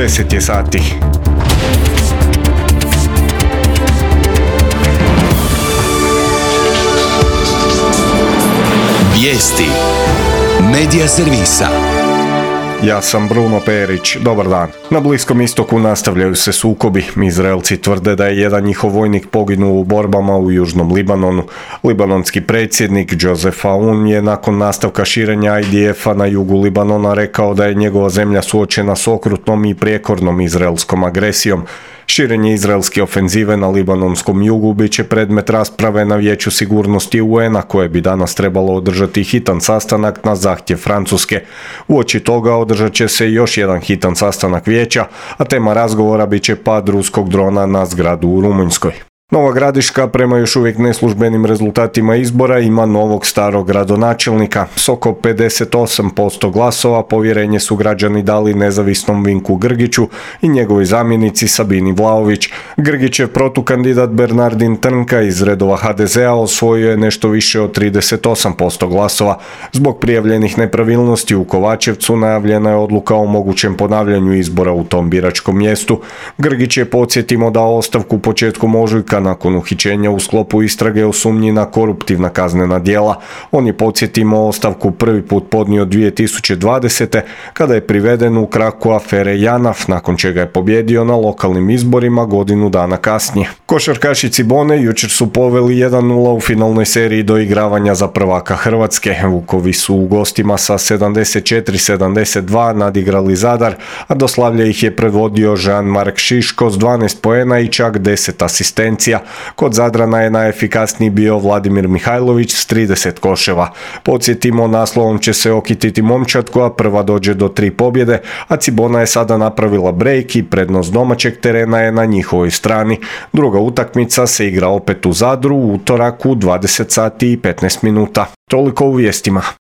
10 je sati. Vijesti Medija servisa. Ja sam Bruno Perić, dobar dan. Na Bliskom istoku nastavljaju se sukobi. Izraelci tvrde da je jedan njihov vojnik poginuo u borbama u južnom Libanonu. Libanonski predsjednik Joseph Aoun je nakon nastavka širenja IDF-a na jugu Libanona rekao da je njegova zemlja suočena s okrutnom i prijekornom izraelskom agresijom. Širenje izraelske ofenzive na libanonskom jugu bit će predmet rasprave na Vijeću sigurnosti UN-a koje bi danas trebalo održati hitan sastanak na zahtjev Francuske. Uoči toga održat će se još jedan hitan sastanak vijeća, a tema razgovora bit će pad ruskog drona na zgradu u Rumunjskoj. Nova Gradiška, prema još uvijek neslužbenim rezultatima izbora, ima novog starog gradonačelnika. S oko 58% glasova povjerenje su građani dali nezavisnom Vinku Grgiću i njegovoj zamjenici Sabini Vlaović. Grgićev protukandidat Bernardin Trnka iz redova HDZ-a osvojio je nešto više od 38% glasova. Zbog prijavljenih nepravilnosti u Kovačevcu najavljena je odluka o mogućem ponavljanju izbora u tom biračkom mjestu. Grgić je, podsjetimo, dao ostavku početkom ožujka nakon uhićenja u sklopu istrage o sumnji na koruptivna kaznena djela. On je, podsjetimo, ostavku prvi put podnio 2020. kada je priveden u kraku afere JANAF, nakon čega je pobjedio na lokalnim izborima godinu dana kasnije. Košarkaši Cibone jučer su poveli 1-0 u finalnoj seriji doigravanja za prvaka Hrvatske. Vukovi su u gostima sa 74-72 nadigrali Zadar, a do slavlja ih je predvodio Jean-Marc Šiško s 12 poena i čak 10 asistencija. Kod Zadrana je najefikasniji bio Vladimir Mihajlović s 30 koševa. Podsjetimo, naslovom će se okititi momčad koja prva dođe do 3 pobjede, a Cibona je sada napravila break i prednost domaćeg terena je na njihovoj strani. Druga utakmica se igra opet u Zadru u utorak u 20 sati i 15 minuta. Toliko u vijestima.